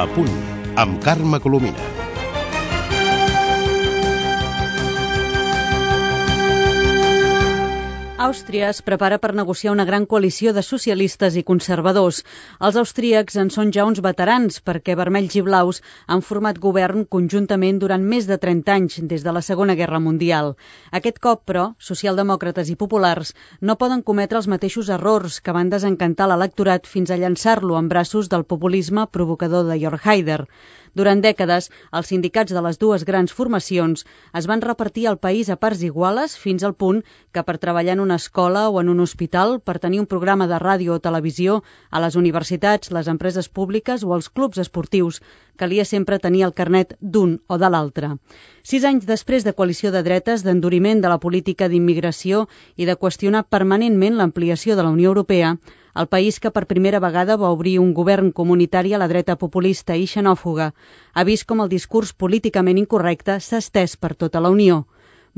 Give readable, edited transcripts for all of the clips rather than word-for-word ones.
Punt, amb Carme Colomina. Àustria es prepara per negociar una gran coalició de socialistes i conservadors. Els austríacs en són ja uns veterans perquè vermells i blaus han format govern conjuntament durant més de 30 anys des de la Segona Guerra Mundial. Aquest cop, però, socialdemòcrates i populars no poden cometre els mateixos errors que van desencantar l'electorat fins a llançar-lo en braços del populisme provocador de Jörg Haider. Durant dècades, els sindicats de les dues grans formacions es van repartir el país a parts iguales fins al punt que per treballar en una escola o en un hospital, per tenir un programa de ràdio o televisió, a les universitats, les empreses públiques o els clubs esportius, calia sempre tenir el carnet d'un o de l'altre. 6 anys després de coalició de dretes, d'enduriment de la política d'immigració i de qüestionar permanentment l'ampliació de la Unió Europea, el país que per primera vegada va obrir un govern comunitari a la dreta populista i xenòfoga ha vist com el discurs políticament incorrecte s'ha estès per tota la Unió.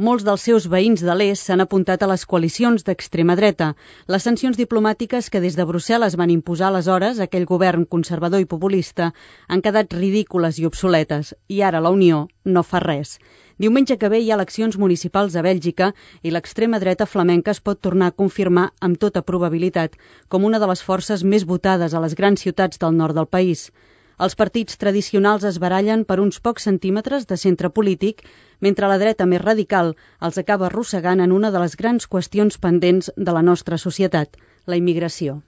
Molts dels seus veïns de l'est s'han apuntat a les coalicions d'extrema dreta. Les sancions diplomàtiques que des de Brussel·les van imposar aleshores a aquell govern conservador i populista han quedat ridícules i obsoletes, i ara la Unió no fa res. Diumenge que ve hi ha eleccions municipals a Bèlgica i l'extrema dreta flamenca es pot tornar a confirmar amb tota probabilitat com una de les forces més votades a les grans ciutats del nord del país. Els partits tradicionals es barallen per uns pocs centímetres de centre polític, mentre la dreta més radical els acaba arrossegant en una de les grans qüestions pendents de la nostra societat, la immigració.